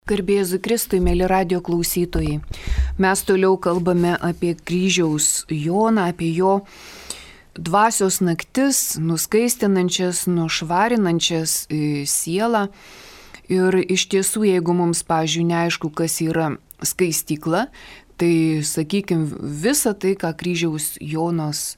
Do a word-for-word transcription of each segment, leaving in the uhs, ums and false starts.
Garbė Jėzui Kristui, mėly radijo klausytojai. Mes toliau kalbame apie kryžiaus Joną, apie jo dvasios naktis, nuskaistinančias, nušvarinančias sielą. Ir iš tiesų, jeigu mums, pavyzdžiui, neaišku, kas yra skaistykla, tai, sakykime, visa tai, ką kryžiaus Jonas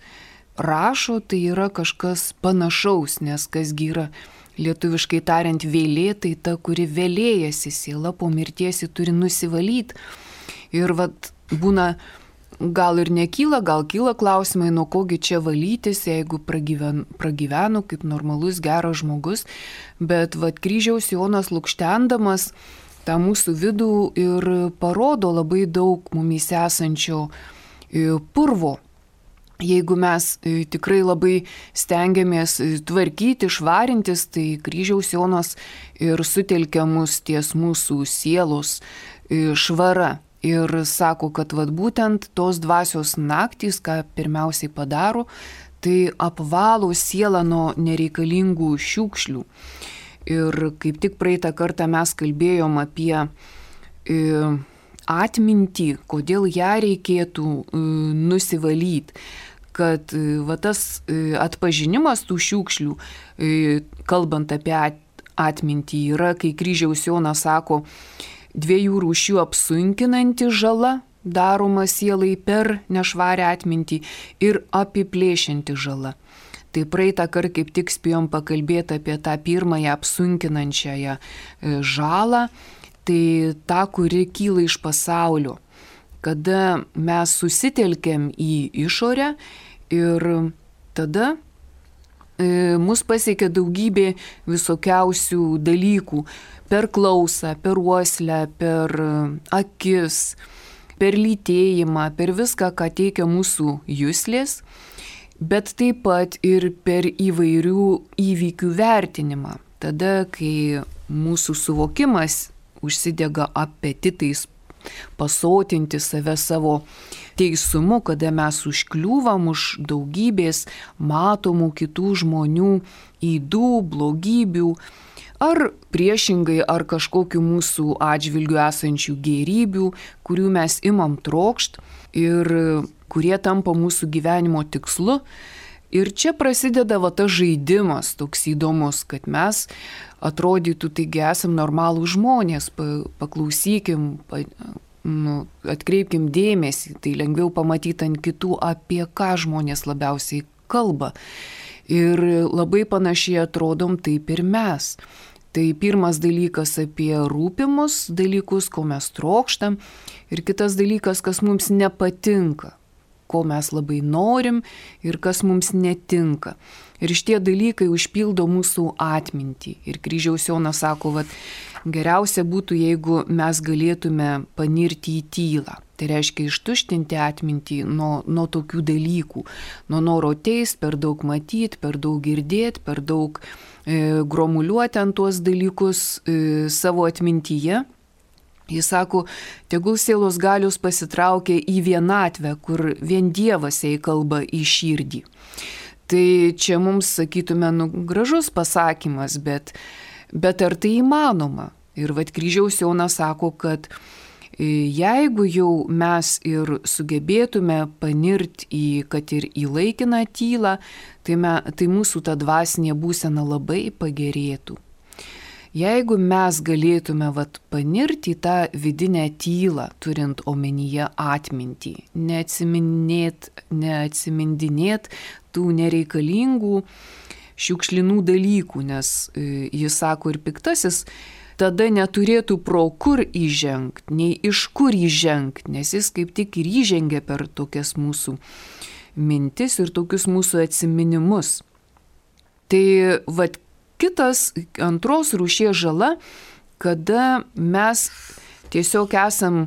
rašo, tai yra kažkas panašaus, nes kasgi yra lietuviškai tariant vėlė, tai ta, kuri vėlėjasi, siela po mirties ji turi nusivalyti. Ir vat būna, gal ir nekyla, gal kyla klausimai, nuo kogi čia valytis, jeigu pragyvenu, pragyvenu kaip normalus, geras žmogus. Bet vat kryžiaus Jonas lukštendamas tą mūsų vidų ir parodo labai daug mumyse esančio purvo. Jeigu mes tikrai labai stengiamės tvarkyti, švarintis, tai kryžiaus Jonas ir sutelkia mus ties mūsų sielos švara. Ir sako, kad vat būtent tos dvasios naktys, ką pirmiausiai padaro, tai apvalo sielą nuo nereikalingų šiukšlių. Ir kaip tik praeitą kartą mes kalbėjom apie atmintį, kodėl ją reikėtų nusivalyti, kad va, tas atpažinimas tų šiukšlių, kalbant apie atmintį, yra, kai kryžiaus Jonas sako, dviejų rūšių apsunkinanti žala daroma sielai per nešvarę atmintį ir apiplėšianti žala. Tai praeitą kartą kaip tik spėjom pakalbėti apie tą pirmąją apsunkinančiąją žalą, tai ta, kuri kyla iš pasaulio, kada mes susitelkiam į išorę ir tada e, mus pasiekia daugybė visokiausių dalykų per klausą, per uoslę, per akis, per lytėjimą, per viską, ką teikia mūsų juslės, bet taip pat ir per įvairių įvykių vertinimą. Tada, kai mūsų suvokimas užsidega apetitais pasotinti save savo teisumu, kada mes užkliūvam už daugybės matomų kitų žmonių ydų, blogybių, ar priešingai, ar kažkokių mūsų atžvilgių esančių gėrybių, kurių mes imam trokšt ir kurie tampa mūsų gyvenimo tikslu. Ir čia prasideda va tas žaidimas toks įdomus, kad mes atrodytų, taigi esam normalų žmonės, paklausykim, pa, nu, atkreipkim dėmesį, tai lengviau pamatyti ant kitų, apie ką žmonės labiausiai kalba. Ir labai panašiai atrodom taip ir mes. Tai pirmas dalykas apie rūpimus dalykus, ko mes trokštam, ir kitas dalykas, kas mums nepatinka, ko mes labai norim ir kas mums netinka. Ir šitie dalykai užpildo mūsų atmintį. Ir kryžiaus Jonas sako, kad geriausia būtų, jeigu mes galėtume panirti į tylą. Tai reiškia ištuštinti atmintį nuo, nuo tokių dalykų. Nuo noro teist, per daug matyti, per daug girdėti, per daug e, gromuliuoti ant tuos dalykus e, savo atmintyje. Jis sako, tegul sielos galios pasitraukia į vienatvę, kur vien Dievas jai kalba į širdį. Tai čia mums, sakytume, nu, gražus pasakymas, bet, bet ar tai įmanoma? Ir vat kryžiaus Jonas sako, kad jeigu jau mes ir sugebėtume panirti į, kad ir į laikiną tylą, tai, me, tai mūsų ta dvasinė būsena labai pagerėtų. Jeigu mes galėtume vat, panirti į tą vidinę tylą, turint omenyje atmintį, neatsiminėt, neatsimindinėt tų nereikalingų šiukšlinų dalykų, nes e, jis sako ir piktasis, tada neturėtų pro kur įžengti, nei iš kur įžengti, nes jis kaip tik ir įžengia per tokias mūsų mintis ir tokius mūsų atsiminimus. Tai vat, kitas antros rūšies žala, kada mes tiesiog esam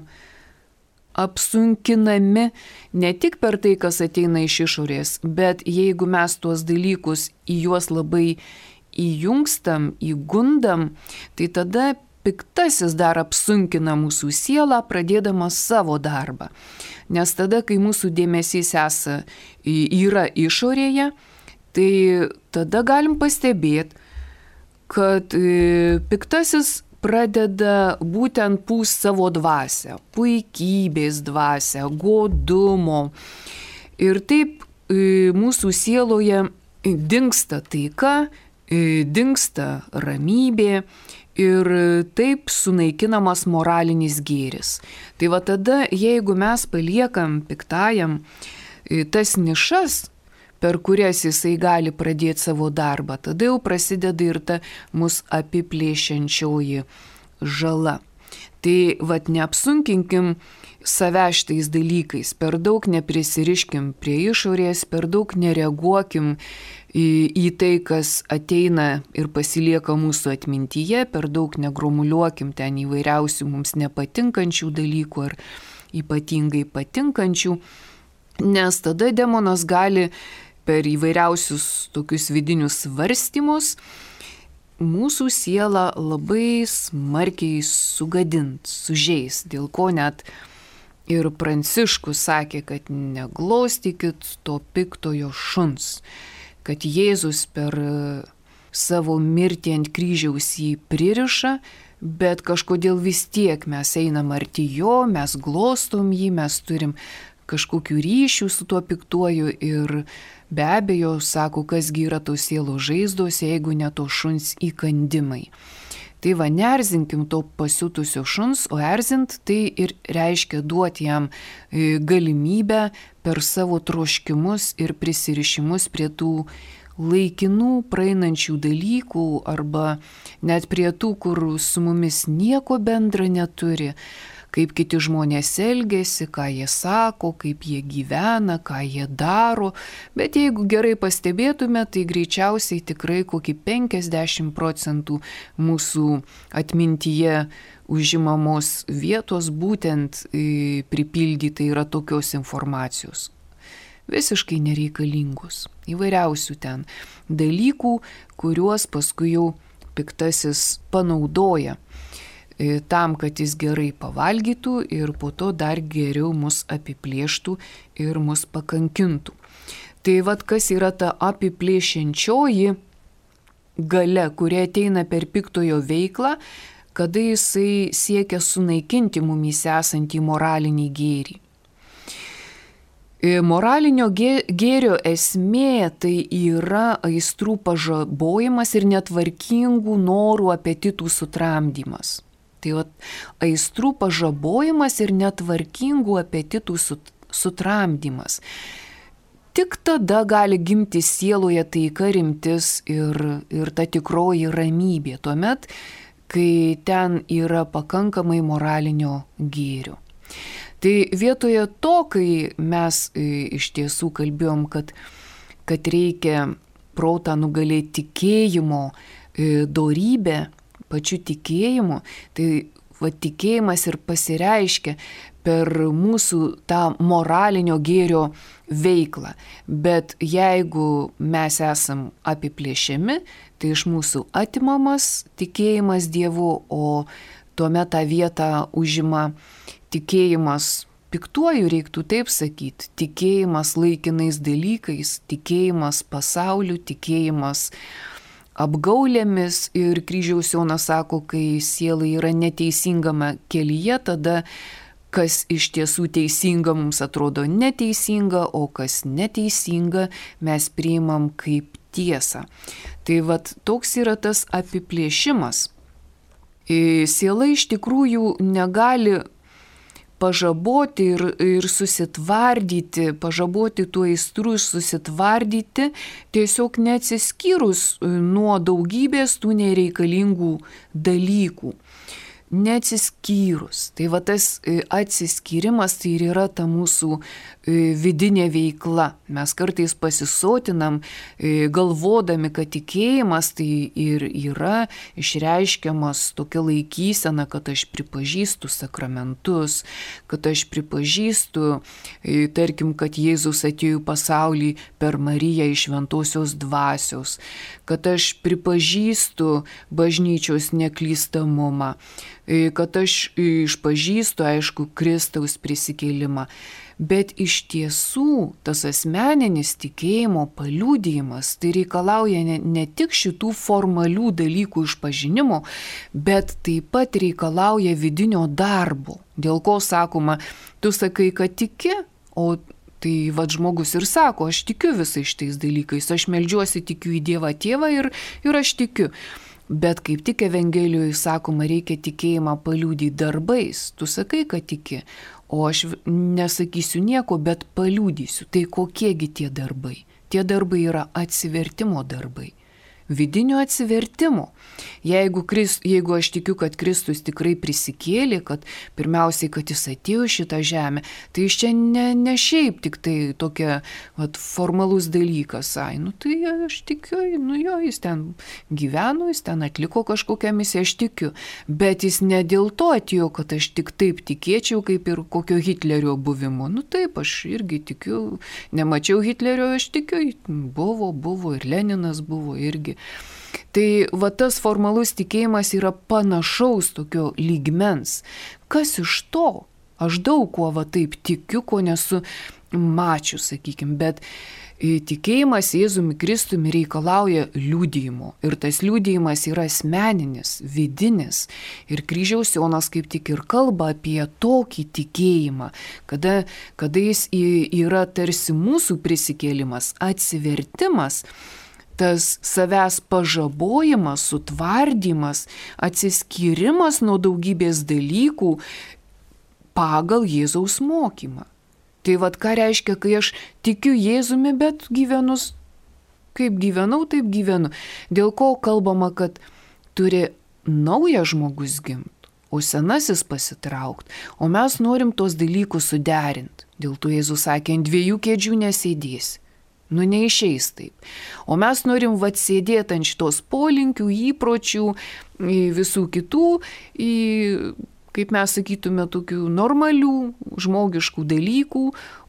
apsunkinami ne tik per tai, kas ateina iš išorės, bet jeigu mes tuos dalykus į juos labai įjungstam, įgundam, tai tada piktasis dar apsunkina mūsų sielą, pradėdamas savo darbą. Nes tada, kai mūsų dėmesys esa, yra išorėje, tai tada galim pastebėti, kad piktasis pradeda būtent pūst savo dvasią, puikybės dvasią, godumo. Ir taip mūsų sieloje dingsta taika, dingsta ramybė ir taip sunaikinamas moralinis gėris. Tai va tada, jeigu mes paliekam piktajam tas nišas, per kurias jisai gali pradėti savo darbą, tada jau prasideda ir ta mus apiplėšiančioji žala. Tai vat neapsunkinkim save šitais dalykais, per daug neprisiriškim prie išorės, per daug nereaguokim į, į tai, kas ateina ir pasilieka mūsų atmintyje, per daug negromuliuokim ten įvairiausių mums nepatinkančių dalykų ar ypatingai patinkančių, nes tada demonas gali per įvairiausius tokius vidinius svarstymus mūsų sielą labai smarkiai sugadint, sužeis, dėl ko net ir Pranciškus sakė, kad neglostykit to piktojo šuns, kad Jėzus per savo mirtį ant kryžiaus jį pririša, bet kažkodėl vis tiek mes einam arti jo, mes glostom jį, mes turim kažkokių ryšių su tuo piktuoju ir be abejo, sako, kasgi yra tos sielos žaizdos, jeigu ne to šuns įkandimai. Tai va, neerzinkim to pasiutusio šuns, o erzint tai ir reiškia duoti jam galimybę per savo troškimus ir prisirišimus prie tų laikinų praeinančių dalykų arba net prie tų, kur su mumis nieko bendra neturi, kaip kiti žmonės elgesi, ką jie sako, kaip jie gyvena, ką jie daro, bet jeigu gerai pastebėtume, tai greičiausiai tikrai kokį penkiasdešimt procentų mūsų atmintyje užimamos vietos būtent pripildyti yra tokios informacijos. Visiškai nereikalingos, įvairiausių ten dalykų, kuriuos paskui jau piktasis panaudoja tam, kad jis gerai pavalgytų ir po to dar geriau mus apiplėštų ir mus pakankintų. Tai vad, kas yra ta apiplėšiančioji galia, kuri ateina per piktojo veiklą, kada jisai siekia sunaikinti mumyse esantį moralinį gėrį. Moralinio gėrio esmė tai yra aistrų pažabojimas ir netvarkingų norų apetitų sutramdymas. Tai va, aistrų pažabojimas ir netvarkingų apetitų sutramdymas. Tik tada gali gimti sieloje taika, rimtis ir, ir ta tikroji ramybė, tuomet, kai ten yra pakankamai moralinio gėrio. Tai vietoje to, kai mes iš tiesų kalbėjom, kad, kad reikia protą nugalėti tikėjimo dorybę, pačiu tikėjimu, tai va, tikėjimas ir pasireiškia per mūsų tą moralinio gėrio veiklą. Bet jeigu mes esam apiplėšiami, tai iš mūsų atimamas tikėjimas Dievu, o tuomet tą vietą užima tikėjimas piktuoju, reiktų taip sakyti, tikėjimas laikinais dalykais, tikėjimas pasauliu, tikėjimas apgaulėmis ir kryžiaus Jonas sako, kai siela yra neteisingame kelyje, tada kas iš tiesų teisinga mums atrodo neteisinga, o kas neteisinga mes priimam kaip tiesą. Tai vat toks yra tas apiplėšimas. Siela iš tikrųjų negali pažaboti ir, ir susitvardyti, pažaboti tų aistrų ir susitvardyti, tiesiog neatsiskyrus nuo daugybės tų nereikalingų dalykų. Neatsiskyrus. Tai va tas atsiskyrimas tai ir yra ta mūsų vidinė veikla. Mes kartais pasisotinam, galvodami, kad tikėjimas tai ir yra išreiškiamas tokia laikysena, kad aš pripažįstu sakramentus, kad aš pripažįstu, tarkim, kad Jėzus atėjo į pasaulį per Mariją iš šventosios dvasios, kad aš pripažįstu bažnyčios neklystamumą, kad aš išpažįstu, aišku, Kristaus prisikėlimą. Bet iš tiesų tas asmeninis tikėjimo paliudijimas tai reikalauja ne, ne tik šitų formalių dalykų išpažinimo, bet taip pat reikalauja vidinio darbo. Dėl ko sakoma, tu sakai, kad tiki, o tai vad žmogus ir sako, aš tikiu visais šitais dalykais, aš meldžiuosi, tikiu į Dievą Tėvą ir, ir aš tikiu. Bet kaip tik Evangelijoje sakoma, reikia tikėjimą paliudyti darbais. Tu sakai, kad tiki, o aš nesakysiu nieko, bet paliudysiu. Tai kokiegi tie darbai? Tie darbai yra atsivertimo darbai. Vidinio atsivertimo. Jeigu, Krist, jeigu aš tikiu, kad Kristus tikrai prisikėlė, kad pirmiausiai, kad jis atėjo šitą žemę, tai iš čia ne, ne šiaip tik tai tokia vat, formalus dalykas. Ai, nu tai aš tikiu, nu jo, jis ten gyveno, jis ten atliko kažkokią misiją, aš tikiu. Bet jis ne dėl to atėjo, kad aš tik taip tikėčiau, kaip ir kokio Hitlerio buvimo. Nu taip, aš irgi tikiu, nemačiau Hitlerio, aš tikiu, buvo, buvo ir Leninas buvo irgi. Tai va tas formalus tikėjimas yra panašaus tokio lygmens. Kas iš to? Aš daug kuo va taip tikiu, ko nesu mačius, sakykime, bet tikėjimas Jėzumi Kristumi reikalauja liudijimo. Ir tas liudijimas yra asmeninis, vidinis. Ir kryžiaus Jonas kaip tik ir kalba apie tokį tikėjimą, kada, kada jis yra tarsi mūsų prisikėlimas, atsivertimas, tas savęs pažabojimas, sutvardymas, atsiskyrimas nuo daugybės dalykų pagal Jėzaus mokymą. Tai vad ką reiškia, kai aš tikiu Jėzumi, bet gyvenu, kaip gyvenau, taip gyvenu. Dėl ko kalbama, kad turi naujas žmogus gimti, o senasis pasitraukti. O mes norim tos dalykus suderinti. Dėl to Jėzus sakė, ant dviejų kėdžių nesėdėsi. Nu, neišeis taip. O mes norim vat sėdėti ant šitos polinkių, įpročių, visų kitų, į, kaip mes sakytume, tokių normalių, žmogiškų dalykų,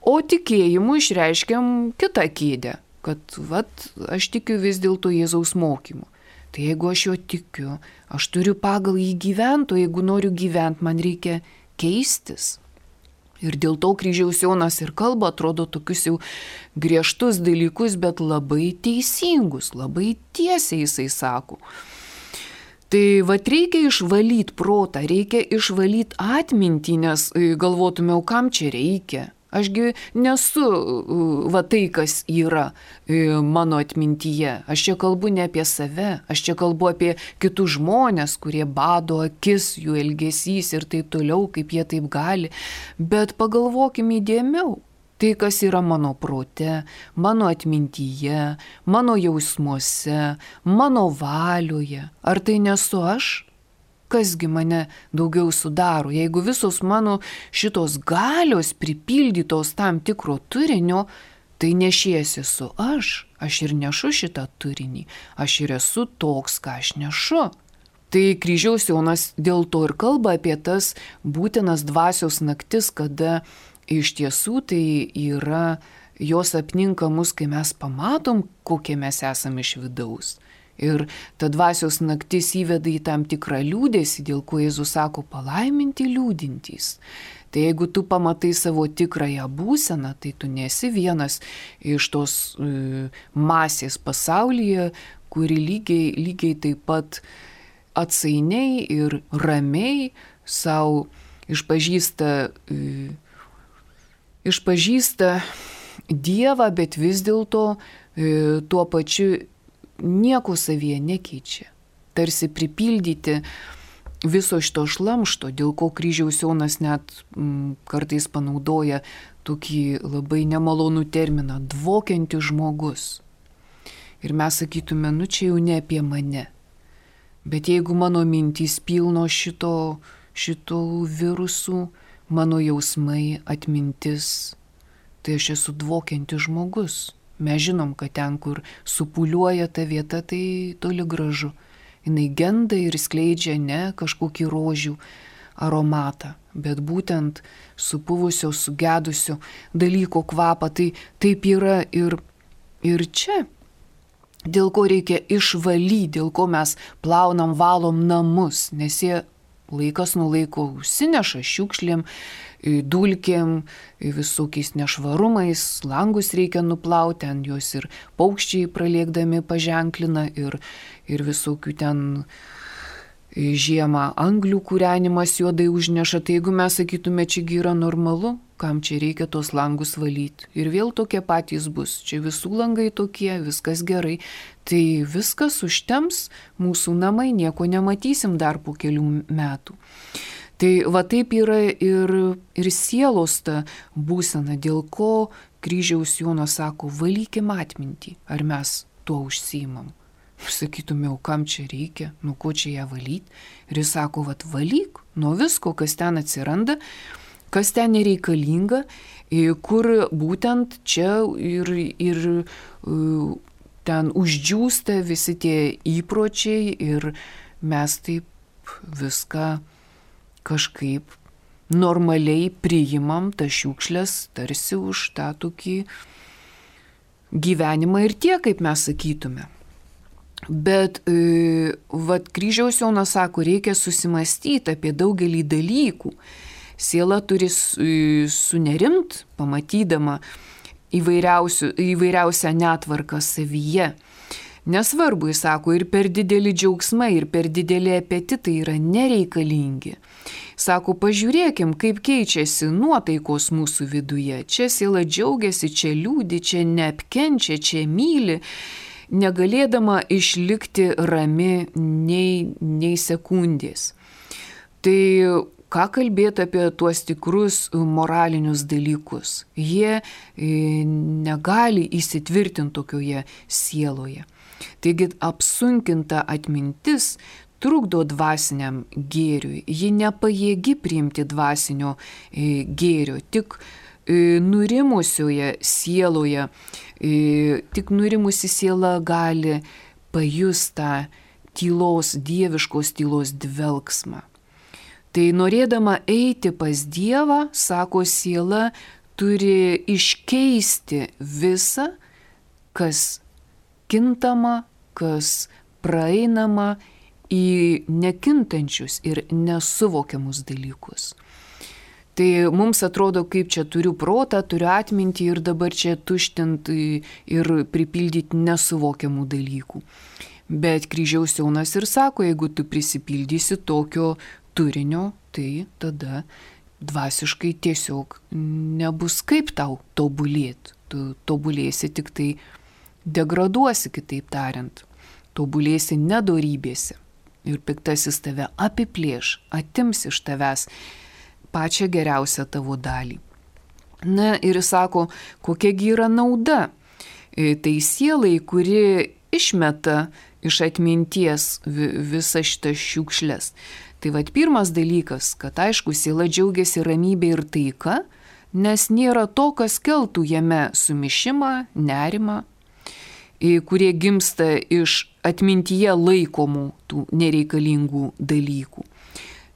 o tikėjimu išreiškiam kitą kėdę, kad vat aš tikiu vis dėlto Jėzaus mokymu. Tai jeigu aš jo tikiu, aš turiu pagal jį gyventi, o jeigu noriu gyventi, man reikia keistis. Ir dėl to kryžiaus Jonas ir kalba, atrodo, tokius jau griežtus dalykus, bet labai teisingus, labai tiesiai jisai sako. Tai vat reikia išvalyti protą, reikia išvalyti atmintį, nes galvotume, o kam čia reikia? Ašgi nesu va tai, kas yra mano atmintyje. Aš čia kalbu ne apie save, aš čia kalbu apie kitus žmonės, kurie bado akis, jų elgesys ir taip toliau, kaip jie taip gali. Bet pagalvokime įdėmiau. Tai, kas yra mano prote, mano atmintyje, mano jausmuose, mano valioje. Ar tai nesu aš? Kasgi mane daugiau sudaro, jeigu visos mano šitos galios pripildytos tam tikro turinio, tai nešiesi su aš, aš ir nešu šitą turinį, aš ir esu toks, ką aš nešu. Tai kryžiaus Jonas dėl to ir kalba apie tas būtinas dvasios naktis, kada iš tiesų tai yra, jos apninka mus, kai mes pamatom, kokie mes esame iš vidaus. Ir ta dvasios naktis įveda į tam tikrą liūdėsį, dėl ko Jėzus sako palaiminti liūdintys. Tai jeigu tu pamatai savo tikrąją būseną, tai tu nesi vienas iš tos e, masės pasaulyje, kuri lygiai, lygiai taip pat atsainiai ir ramiai savo išpažįsta, e, išpažįsta Dievą, bet vis dėlto e, tuo pačiu nieko savyje nekeičia. Tarsi pripildyti viso šito šlamšto, dėl ko kryžiaus Jonas net m, kartais panaudoja tokį labai nemalonų terminą – dvokiantis žmogus. Ir mes sakytume, nu čia jau ne apie mane. Bet jeigu mano mintys pilno šito, šito virusų, mano jausmai, atmintis, tai aš esu dvokiantis žmogus. Mes žinom, kad ten, kur supūliuoja ta vieta, tai toli gražu. Jinai genda ir skleidžia ne kažkokį rožių aromatą, bet būtent supuvusio, sugedusio dalyko kvapą. Tai taip yra ir, ir čia. Dėl ko reikia išvalyti, dėl ko mes plaunam, valom namus, nes jie laikas nuo laiko užsineša šiukšlėm, dulkėm, visokiais nešvarumais, langus reikia nuplauti, ten juos ir paukščiai pralėkdami paženklina ir, ir visokių ten žiemą anglių kūrenimas juodai užneša. Tai jeigu mes sakytume, čiagi yra normalu, kam čia reikia tos langus valyti. Ir vėl tokie patys bus. Čia visų langai tokie, viskas gerai. Tai viskas užtems, mūsų namai, nieko nematysim dar po kelių metų. Tai va taip yra ir, ir sielos ta būsena, dėl ko kryžiaus Jonas sako, valykim atmintį. Ar mes tuo užsiimam? Sakytume, kam čia reikia, nu ko čia ją valyti. Ir jis sako, vat valyk nuo visko, kas ten atsiranda, kas ten nereikalinga, kur būtent čia ir, ir ten uždžiūsta visi tie įpročiai ir mes taip viską kažkaip normaliai priimam tas šiukšlės tarsi už tą tokį gyvenimą ir tiek, kaip mes sakytume. Bet e, vat kryžiaus Jonas sako, reikia susimastyti apie daugelį dalykų. Siela turi sunerimt, pamatydama įvairiausią netvarką savyje. Nesvarbu, jis sako, ir per didelį džiaugsmą, ir per didelį apetitą yra nereikalingi. Sako, pažiūrėkim, kaip keičiasi nuotaikos mūsų viduje. Čia siela džiaugiasi, čia liūdi, čia neapkenčia, čia myli, negalėdama išlikti rami nei, nei sekundės. Tai ką kalbėti apie tuos tikrus moralinius dalykus? Jie negali įsitvirtinti tokioje sieloje. Taigi apsunkinta atmintis trukdo dvasiniam gėriui. Ji nepajėgi priimti dvasinio gėrio, tik nurimusioje sieloje, tik nurimusi siela gali pajusti tą tylos, dieviškos tylos dvelksmą. Tai norėdama eiti pas Dievą, sako siela, turi iškeisti visą, kas kintama, kas praeinama į nekintančius ir nesuvokiamus dalykus. Tai mums atrodo, kaip čia turiu protą, turiu atmintį ir dabar čia tuštinti ir pripildyti nesuvokiamų dalykų. Bet kryžiaus Jonas ir sako, jeigu tu prisipildysi tokio turinio, tai tada dvasiškai tiesiog nebus kaip tau tobulėti. Tu tobulėsi, tik tai degraduosi, kitaip tariant. Tobulėsi nedorybėse. Ir piktasis tave apiplėš, atims iš tavęs pačią geriausią tavo dalį. Na ir jis sako, kokiagi yra nauda. Tai sielai, kuri išmeta iš atminties visą šitą šiukšlės. Tai vat pirmas dalykas, kad aišku, siela džiaugiasi ramybė ir taika, nes nėra to, kas keltų jame sumišimą, nerimą, kurie gimsta iš atmintyje laikomų tų nereikalingų dalykų.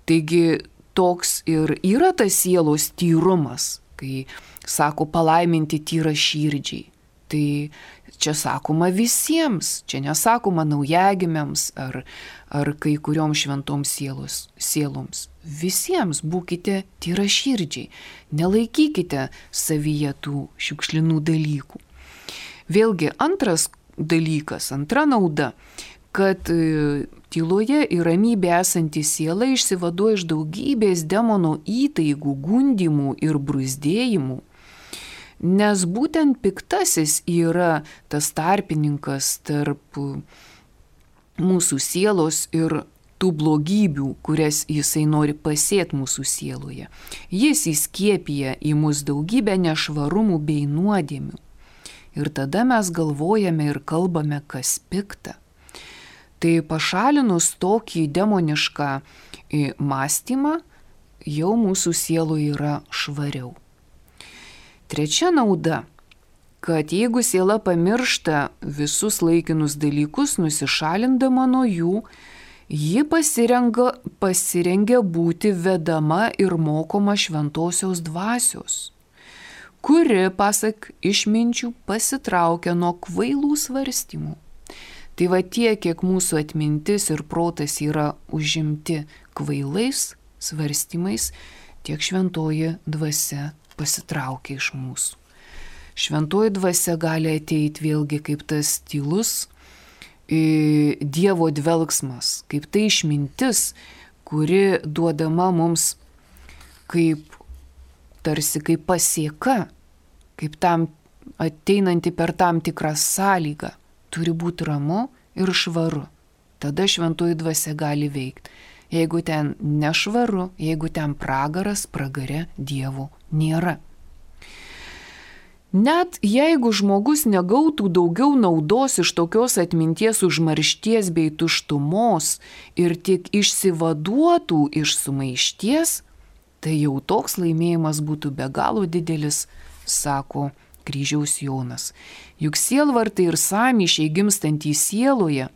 Taigi toks ir yra tas sielos tyrumas, kai sako palaiminti tyra širdžiai. Tai čia sakoma visiems, čia nesakoma naujagimiams ar, ar kai kuriom šventoms sielos, sieloms. Visiems būkite tyra širdžiai, nelaikykite savyje tų šiukšlinų dalykų. Vėlgi antras dalykas, antra nauda, kad tyloje ir ramybė esanti siela išsivaduoja iš daugybės demono įtaigų, gundymų ir bruzdėjimų, nes būtent piktasis yra tas tarpininkas tarp mūsų sielos ir tų blogybių, kurias jisai nori pasėti mūsų sieloje. Jis įskiepija į mus daugybę nešvarumų bei nuodėmių. Ir tada mes galvojame ir kalbame, kas pikta. Tai pašalinus tokį demonišką mąstymą, jau mūsų sieloje yra švariau. Trečia nauda, kad jeigu siela pamiršta visus laikinus dalykus, nusišalindama nuo jų, ji pasirenga, pasirengia būti vedama ir mokoma šventosios dvasios, kuri, pasak išminčių, pasitraukia nuo kvailų svarstymų. Tai va tiek, kiek mūsų atmintis ir protas yra užimti kvailais svarstymais, tiek šventoji dvasia pasitraukia iš mūsų. Šventoji dvasia gali ateiti vėlgi kaip tas tylus Dievo dvelgsmas, kaip tai išmintis, kuri duodama mums kaip tarsi kaip pasieka, kaip tam ateinanti per tam tikrą sąlygą, turi būti ramu ir švaru. Tada šventoji dvasia gali veikti. Jeigu ten nešvaru, jeigu ten pragaras, pragare Dievo nėra. Net jeigu žmogus negautų daugiau naudos iš tokios atminties užmaršties bei tuštumos ir tik išsivaduotų iš sumaišties, tai jau toks laimėjimas būtų be galo didelis, sako Kryžiaus Jonas. Juk sielvartai ir sąmyšiai gimstantys sieloje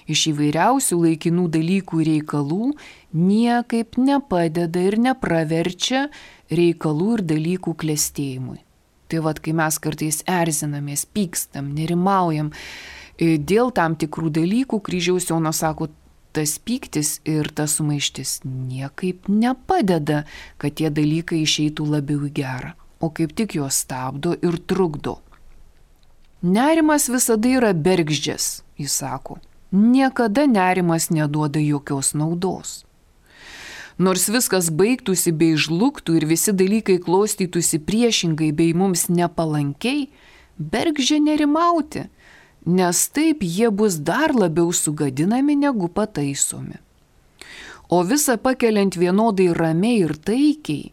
iš įvairiausių laikinų dalykų ir reikalų niekaip nepadeda ir nepraverčia reikalų ir dalykų klestėjimui. Tai vad, kai mes kartais erzinamės, pykstam, nerimaujam dėl tam tikrų dalykų, Kryžiaus Jonas sako, tas pyktis ir tas sumaištis niekaip nepadeda, kad tie dalykai išeitų labiau į gerą, o kaip tik juos stabdo ir trukdo. Nerimas visada yra bergždžias, jis sako. Niekada nerimas neduoda jokios naudos. Nors viskas baigtųsi bei žlugtų ir visi dalykai klostytųsi priešingai bei mums nepalankiai, bergždžia nerimauti, nes taip jie bus dar labiau sugadinami negu pataisomi. O visa pakeliant vienodai ramiai ir taikiai,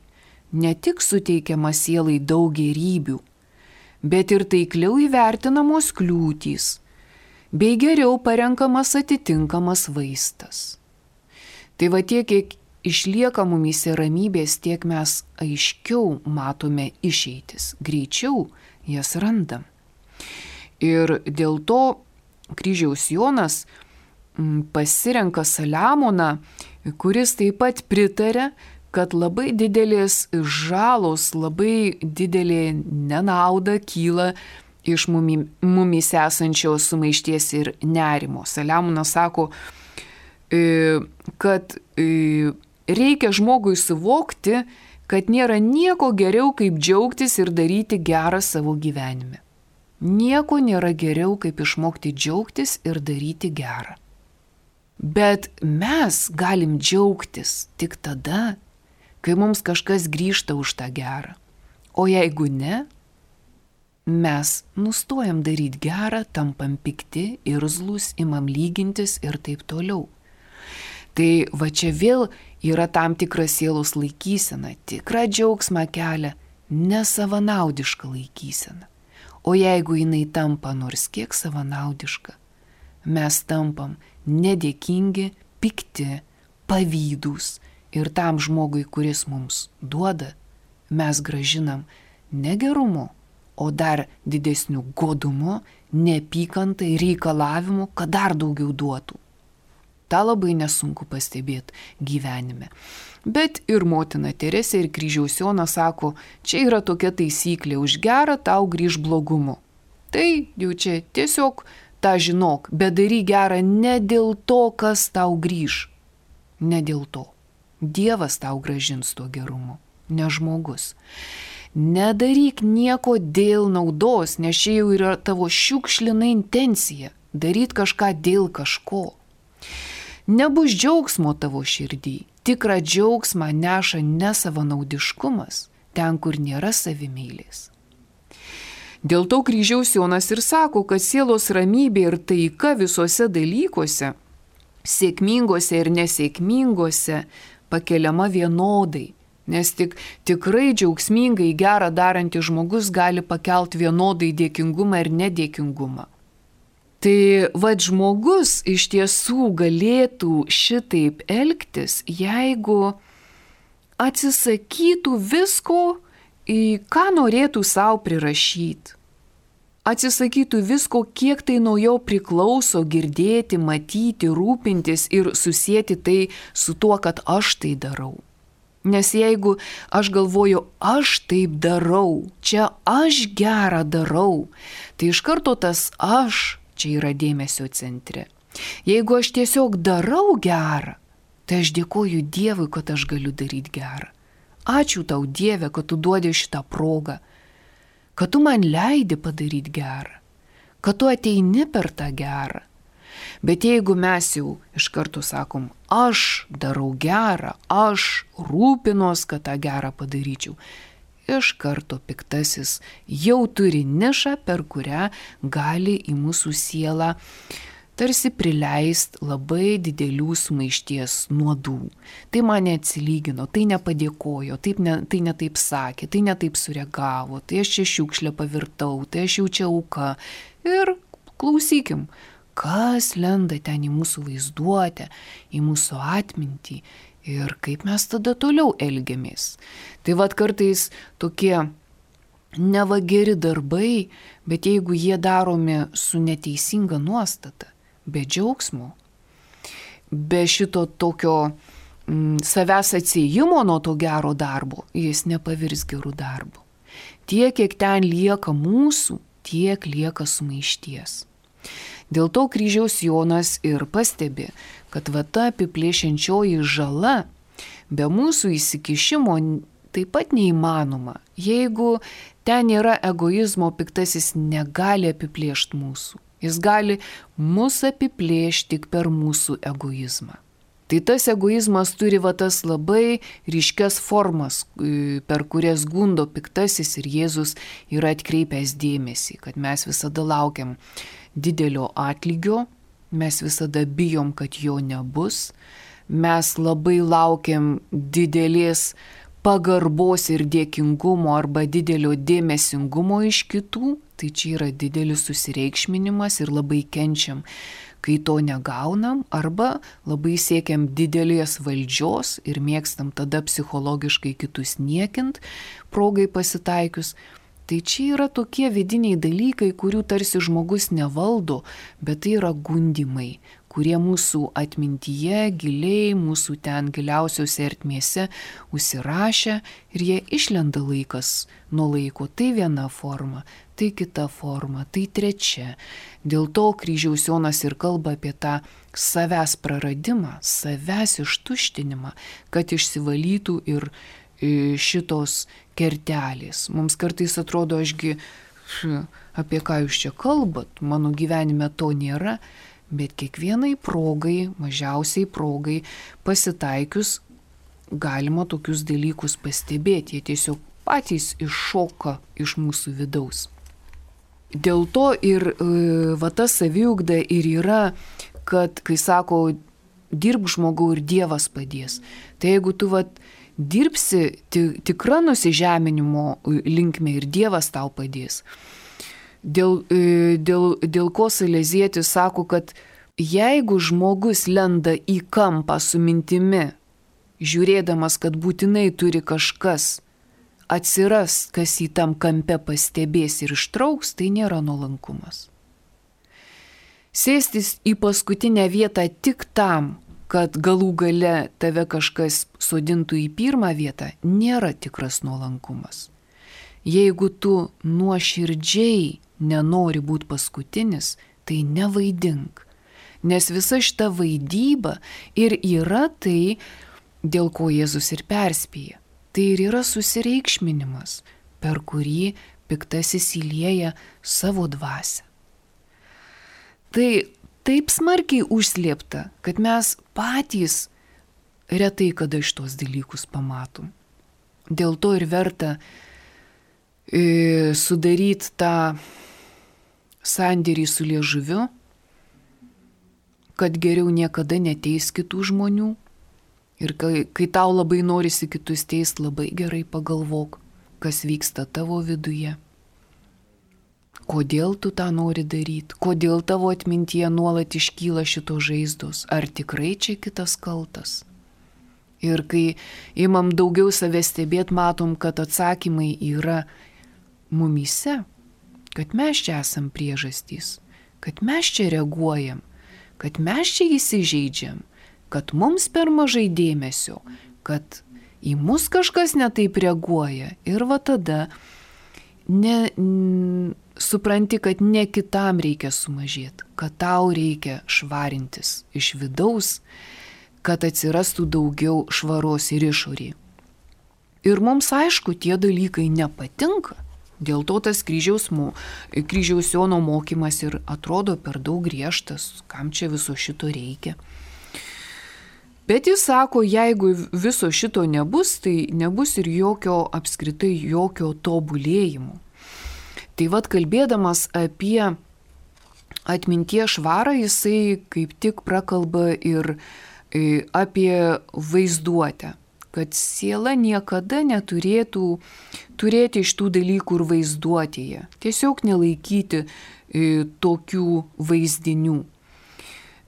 ne tik suteikiama sielai daug gėrybių, bet ir taikliau įvertinamos kliūtys, bei geriau parenkamas atitinkamas vaistas. Tai va tiek, kiek išlieka mumyse ramybės, tiek mes aiškiau matome išeitis, greičiau jas randam. Ir dėl to Kryžiaus Jonas pasirenka Saliamoną, kuris taip pat pritarė, kad labai didelės žalos, labai didelė nenauda kyla iš mumyse esančios sumaišties ir nerimo. Saliamonas sako, kad reikia žmogui suvokti, kad nėra nieko geriau, kaip džiaugtis ir daryti gerą savo gyvenime. Nieko nėra geriau, kaip išmokti džiaugtis ir daryti gerą. Bet mes galim džiaugtis tik tada, kai mums kažkas grįžta už tą gerą. O jeigu ne, mes nustojam daryti gerą, tampam pikti, irzlus, imam lygintis ir taip toliau. Tai va čia vėl yra tam tikra sielos laikysena, tikra džiaugsmą kelia, nesavanaudiška laikysena. O jeigu jinai tampa nors kiek savanaudiška, mes tampam nedėkingi, pikti, pavydūs ir tam žmogui, kuris mums duoda, mes gražinam ne gerumu, o dar didesniu godumu, neapykantai, reikalavimu, kad dar daugiau duotų. Ta labai nesunku pastebėti gyvenime. Bet ir motina Teresė ir Kryžiaus Jonas sako, čia yra tokia taisyklė, už gerą tau grįž blogumu. Tai jau čia tiesiog tą žinok, bet daryk gerą ne dėl to, kas tau grįž. Ne dėl to. Dievas tau gražins tuo gerumu, ne žmogus. Nedaryk nieko dėl naudos, nes čia jau yra tavo šiukšlina intencija, daryt kažką dėl kažko. Nebus džiaugsmo tavo širdį, tikrą džiaugsmą neša nesavanaudiškumas, ten, kur nėra savimylės. Dėl to Kryžiaus Jonas ir sako, kad sielos ramybė ir taika visuose dalykuose, sėkmingose ir nesėkmingose, pakeliama vienodai, nes tik tikrai džiaugsmingai gerą darantis žmogus gali pakelti vienodai dėkingumą ir nedėkingumą. Tai vad žmogus iš tiesų galėtų šitaip elgtis, jeigu atsisakytų visko, į ką norėtų savo prirašyti. Atsisakytų visko, kiek tai nuo jo priklauso girdėti, matyti, rūpintis ir susėti tai su tuo, kad aš tai darau. Nes jeigu aš galvoju, aš taip darau, čia aš gerą darau, tai iš karto tas aš čia yra dėmesio centre. Jeigu aš tiesiog darau gerą, Tai aš dėkoju Dievui, kad aš galiu daryti gerą. Ačiū tau, Dieve, kad tu duodi šitą progą, kad tu man leidi padaryti gerą, kad tu ateini per tą gerą. Bet jeigu mes jau iš karto sakom, aš darau gerą, aš rūpinos, kad tą gerą padaryčiau, iš karto piktasis jau turi nišą, per kurią gali į mūsų sielą tarsi prileist labai didelių sumaišties nuodų. Tai man neatsilygino, tai nepadėkojo, taip ne, tai ne taip sakė, tai ne taip sureagavo, tai aš čia šiukšlę pavirtau, tai aš jau čia auka. Ir klausykim, kas lenda ten į mūsų vaizduotę, į mūsų atmintį ir kaip mes tada toliau elgiamės. Tai vad kartais tokie neva geri darbai, bet jeigu jie daromi su neteisinga nuostata, be džiaugsmo, be šito tokio mm, savęs atsiejimo nuo to gero darbo, jis nepavirs gerų darbų. Tiek, kiek ten lieka mūsų, tiek lieka sumaišties. Dėl to kryžiaus Jonas ir pastebi, kad va ta apiplėšiančioji žala be mūsų įsikišimo taip pat neįmanoma. Jeigu ten yra egoizmo, piktasis negali apiplėšti mūsų. Jis gali mus apiplėšti tik per mūsų egoizmą. Tai tas egoizmas turi va tas labai ryškias formas, per kurias gundo piktasis ir Jėzus yra atkreipęs dėmesį, kad mes visada laukiam didelio atlygio, mes visada bijom, kad jo nebus, mes labai laukiam didelės pagarbos ir dėkingumo arba didelio dėmesingumo iš kitų, tai čia yra didelis susireikšminimas ir labai kenčiam, kai to negaunam, arba labai siekiam didelės valdžios ir mėgstam tada psichologiškai kitus niekint, progai pasitaikius. Tai čia yra tokie vidiniai dalykai, kurių tarsi žmogus nevaldo, bet tai yra gundimai, kurie mūsų atmintyje giliai, mūsų ten giliausiose ertmėse užsirašę ir jie išlenda laikas nuo laiko. Tai viena forma, tai kita forma, tai trečia. Dėl to kryžiaus Jonas ir kalba apie tą savęs praradimą, savęs ištuštinimą, kad išsivalytų ir šitos kertelės. Mums kartais atrodo, ašgi, apie ką jūs čia kalbat, mano gyvenime to nėra, bet kiekvienai progai, mažiausiai progai pasitaikius, galima tokius dalykus pastebėti, jie tiesiog patys iššoka iš mūsų vidaus. Dėl to ir va ta saviugda ir yra, kad kai sako, dirbk žmogau ir Dievas padės. Tai jeigu tu va dirbsi tikra nusižeminimo linkme ir Dievas tau padės. Dėl, dėl, dėl ko Salezietis sako, kad jeigu žmogus lenda į kampą su mintimi, žiūrėdamas, kad būtinai turi kažkas atsiras, kas į tam kampe pastebės ir ištrauks, tai nėra nuolankumas. Sėstis į paskutinę vietą tik tam, kad galų gale tave kažkas sodintų į pirmą vietą, nėra tikras nuolankumas. Jeigu tu nuoširdžiai nenori būti paskutinis, tai nevaidink. Nes visa šita vaidyba ir yra tai, dėl ko Jėzus ir perspėja. Tai ir yra susireikšminimas, per kurį piktasis įlieja savo dvasią. Tai taip smarkiai užslėpta, kad mes patys retai kada šitos dalykus pamatom. Dėl to ir verta e, sudaryti tą sandėrį su liežuviu, kad geriau niekada neteis kitų žmonių. Ir kai, kai tau labai norisi kitus teist, labai gerai pagalvok, kas vyksta tavo viduje. Kodėl tu tą nori daryti? Kodėl tavo atmintyje nuolat iškyla šito žaizdos? Ar tikrai čia kitas kaltas? Ir kai imam daugiau savęs stebėt, matom, kad atsakymai yra mumyse, kad mes čia esam priežastys, kad mes čia reaguojam, kad mes čia įsižeidžiam, kad mums per mažai dėmesio, kad į mus kažkas netaip reaguoja. Ir va tada ne, n, supranti, kad ne kitam reikia sumažėti, kad tau reikia švarintis iš vidaus, kad atsirastų daugiau švaros ir išorėje. Ir mums aišku, tie dalykai nepatinka. Dėl to tas kryžiaus, kryžiaus Jono mokymas ir atrodo per daug griežtas, kam čia viso šito reikia. Bet jis sako, jeigu viso šito nebus, tai nebus ir jokio apskritai jokio tobulėjimo. Tai vad kalbėdamas apie atminties švarą, jisai kaip tik prakalba ir apie vaizduotę, kad siela niekada neturėtų turėti iš tų dalykų ir vaizduotėje, tiesiog nelaikyti e, tokių vaizdinių.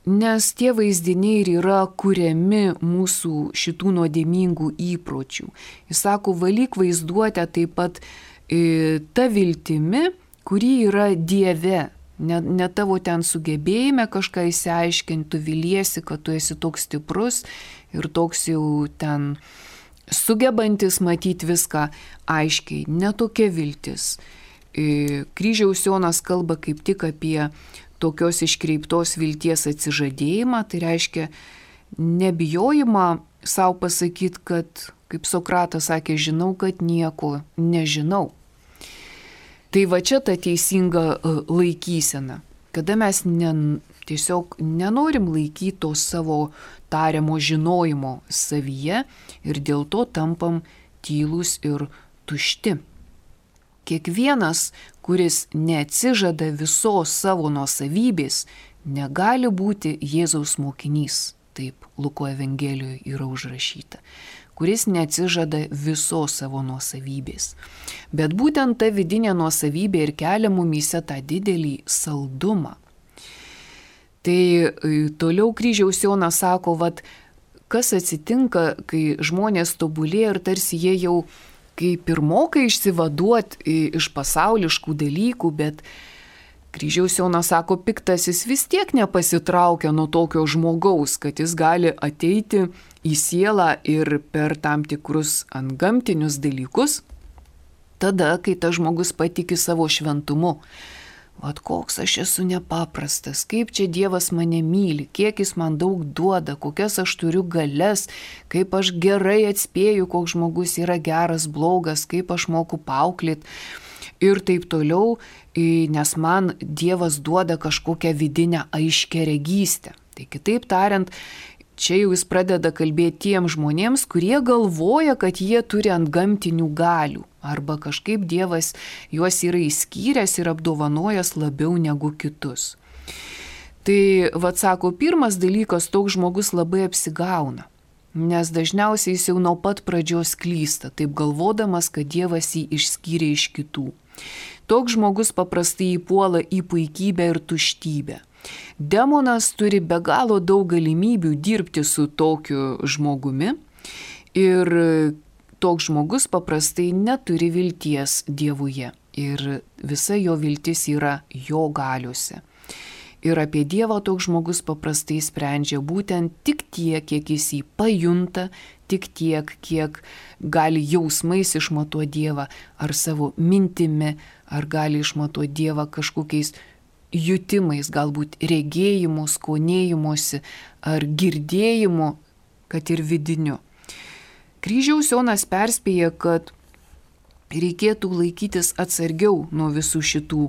Nes tie vaizdiniai ir yra kuriami mūsų šitų nuodėmingų įpročių. Jis sako, valyk vaizduotę taip pat e, ta viltimi, kuri yra Dieve. Ne, ne tavo ten sugebėjime kažką įsiaiškinti, tu viliesi, kad tu esi toks stiprus ir toks jau ten sugebantis matyti viską aiškiai. Netokia viltis. E, kryžiaus Jonas kalba kaip tik apie tokios iškreiptos vilties atsižadėjimą, tai reiškia nebijojimą savo pasakyti, kad, kaip Sokratas sakė, žinau, kad nieko nežinau. Tai va čia ta teisinga laikysena, kada mes ne, tiesiog nenorim laikyti to savo tariamo žinojimo savyje ir dėl to tampam tylūs ir tušti. Kiekvienas, kuris neatsižada visos savo nuosavybės, negali būti Jėzaus mokinys, taip Luko Evangelijoje yra užrašyta, kuris neatsižada visos savo nuosavybės. Bet būtent ta vidinė nuosavybė ir kelia mumyse tą didelį saldumą. Tai toliau kryžiaus Jonas sako, vat, kas atsitinka, kai žmonės tobulėja ir tarsi jie jau kaip ir moka išsivaduoti iš pasauliškų dalykų, bet kryžiaus Jonas sako, piktasis vis tiek nepasitraukia nuo tokio žmogaus, kad jis gali ateiti į sielą ir per tam tikrus antgamtinius dalykus, tada, kai tas žmogus patiki savo šventumu. Vat koks aš esu nepaprastas, kaip čia Dievas mane myli, kiek jis man daug duoda, kokias aš turiu galias, kaip aš gerai atspėju, koks žmogus yra geras, blogas, kaip aš moku paauklėti ir taip toliau, nes man Dievas duoda kažkokią vidinę aiškiaregystę. Tai kitaip tariant, čia jau jis pradeda kalbėti tiem žmonėms, kurie galvoja, kad jie turi antgamtinių galių. Arba kažkaip Dievas juos yra įskyręs ir apdovanojęs labiau negu kitus. Tai, vat sako, pirmas dalykas, toks žmogus labai apsigauna, nes dažniausiai jis jau nuo pat pradžios klysta, taip galvodamas, kad Dievas jį išskyrė iš kitų. Toks žmogus paprastai įpuola į puikybę ir tuštybę. Demonas turi be galo daug galimybių dirbti su tokiu žmogumi ir toks žmogus paprastai neturi vilties Dievuje ir visa jo viltis yra jo galiuose. Ir apie Dievą toks žmogus paprastai sprendžia būtent tik tiek, kiek jis jį pajunta, tik tiek, kiek gali jausmais išmatuoti Dievą, ar savo mintimi, ar gali išmatuoti Dievą kažkokiais jutimais, galbūt regėjimu, skonėjimuose, ar girdėjimu, kad ir vidiniu. Kryžiaus Jonas perspėja, kad reikėtų laikytis atsargiau nuo visų šitų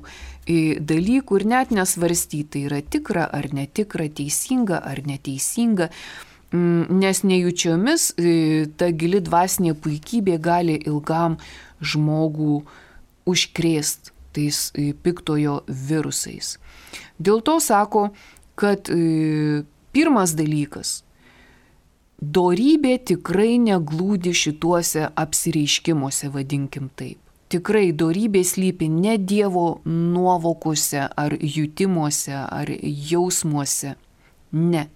dalykų ir net nesvarstyti, tai yra tikra ar netikra, teisinga ar neteisinga, nes nejučiomis ta gili dvasinė puikybė gali ilgam žmogų užkrėsti tais piktojo virusais. Dėl to sako, kad pirmas dalykas, dorybė tikrai neglūdi šituose apsireiškimuose, vadinkim taip. Tikrai dorybė slypi ne Dievo nuovokuose ar jutimuose ar jausmuose. Ne.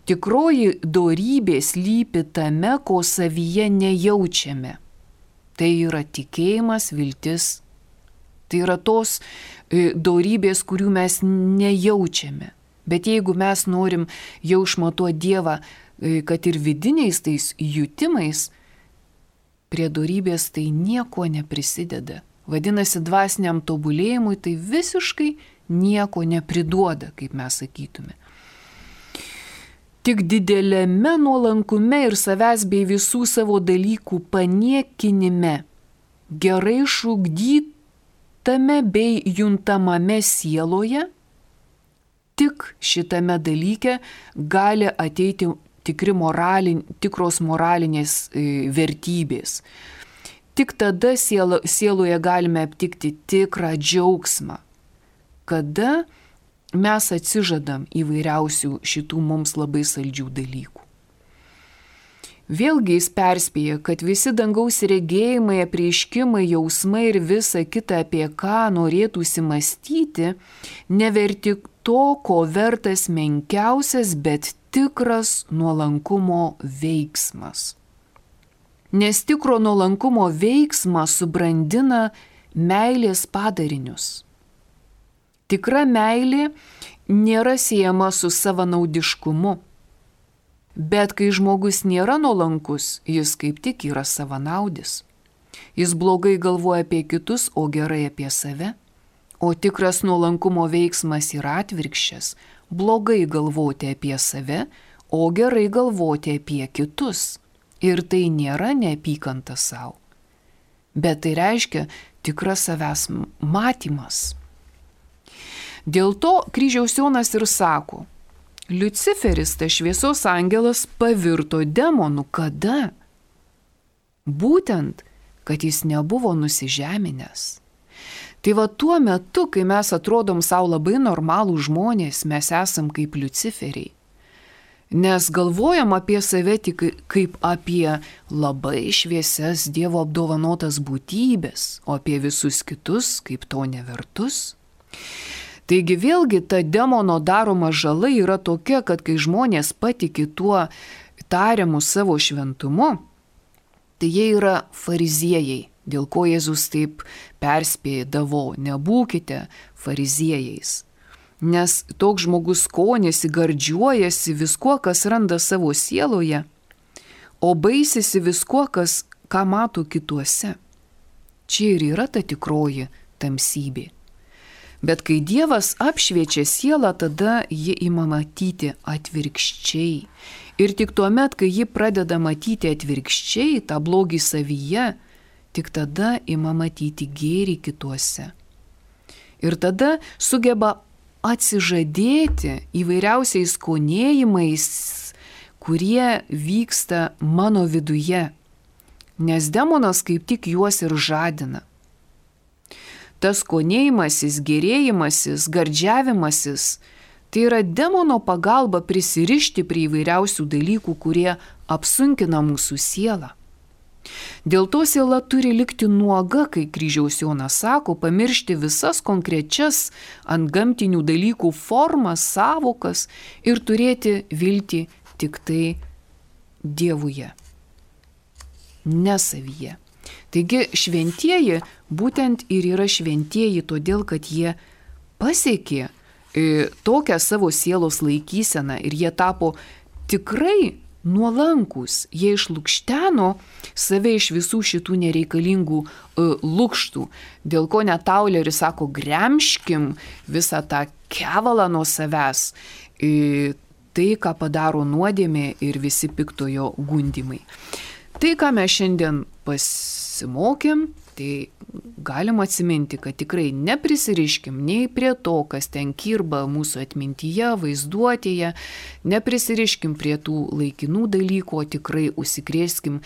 Tikroji dorybė slypi tame, ko savyje nejaučiame. Tai yra tikėjimas, viltis. Tai yra tos dorybės, kurių mes nejaučiame. Bet jeigu mes norim jau išmatuoti Dievą, kad ir vidiniais tais jutimais, prie dorybės tai nieko neprisideda. Vadinasi, dvasiniam tobulėjimui tai visiškai nieko nepriduoda, kaip mes sakytume. Tik dideliame nuolankume ir savęs bei visų savo dalykų paniekinime, gerai išugdytame bei juntamame sieloje, tik šitame dalyke gali ateiti tikri moralin, tikros moralinės e, vertybės. Tik tada sielo, sieloje galime aptikti tikrą džiaugsmą, kada mes atsižadam įvairiausių šitų mums labai saldžių dalykų. Vėlgi jis perspėja, kad visi dangaus regėjimai, apreiškimai, jausmai ir visa kita, apie ką norėtųsi mąstyti, neverti to, ko vertas menkiausias, bet tikras nuolankumo veiksmas. Nes tikro nuolankumo veiksmas subrandina meilės padarinius. Tikra meilė nėra siejama su savanaudiškumu, bet kai žmogus nėra nuolankus, jis kaip tik yra savanaudis. Jis blogai galvoja apie kitus, o gerai apie save, o tikras nuolankumo veiksmas yra atvirkščias – blogai galvoti apie save, o gerai galvoti apie kitus. Ir tai nėra neapykanta savo, bet tai reiškia tikras savęs matymas. Dėl to kryžiaus Jonas ir sako, Liuciferis, tas šviesos angelas, pavirto demonu. Kada? Būtent, kad jis nebuvo nusižeminęs. Tai va tuo metu, kai mes atrodom savo labai normalų žmonės, mes esam kaip Liuciferiai. Nes galvojam apie save tik kaip apie labai šviesias Dievo apdovanotas būtybės, o apie visus kitus kaip to nevertus. Taigi vėlgi ta demono daroma žala yra tokia, kad kai žmonės patiki tuo tariamu savo šventumu, tai jie yra fariziejai, dėl ko Jėzus taip perspėdavo, nebūkite fariziejais. Nes toks žmogus skonėsi, gardžiuojasi viskuo, kas randa savo sieloje, o baisisi viskuo, kas, ką mato kituose. Čia ir yra ta tikroji tamsybė. Bet kai Dievas apšviečia sielą, tada ji ima matyti atvirkščiai. Ir tik tuomet, kai ji pradeda matyti atvirkščiai tą blogį savyje, tik tada ima matyti gėrį kituose. Ir tada sugeba atsižadėti įvairiausiais skonėjimais, kurie vyksta mano viduje, nes demonas kaip tik juos ir žadina. Tas skonėjimasis, gerėjimasis, gardžiavimasis, tai yra demono pagalba prisirišti prie įvairiausių dalykų, kurie apsunkina mūsų sielą. Dėl to siela turi likti nuoga, kai kryžiaus Jonas sako, pamiršti visas konkrečias antgamtinių dalykų formas, savokas ir turėti viltį tik tai Dievuje, ne savyje. Taigi šventieji būtent ir yra šventieji, todėl kad jie pasiekė e, tokią savo sielos laikyseną ir jie tapo tikrai nuolankus, jie išlukšteno save iš visų šitų nereikalingų e, lukštų, dėl ko net Tauleris sako, gremžkim visą tą kevalą nuo savęs, e, tai, ką padaro nuodėmė ir visi piktojo gundymai. Tai, ką mes šiandien pasimokėm, tai galim atsiminti, kad tikrai neprisiriškim nei prie to, kas ten kirba mūsų atmintyje, vaizduotėje, neprisiriškim prie tų laikinų dalykų, o tikrai užsikrėskim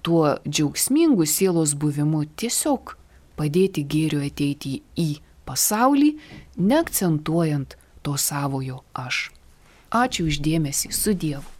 tuo džiaugsmingu sielos buvimu, tiesiog padėti gėriu ateiti į pasaulį, neakcentuojant to savojo aš. Ačiū už dėmesį, su Dievu.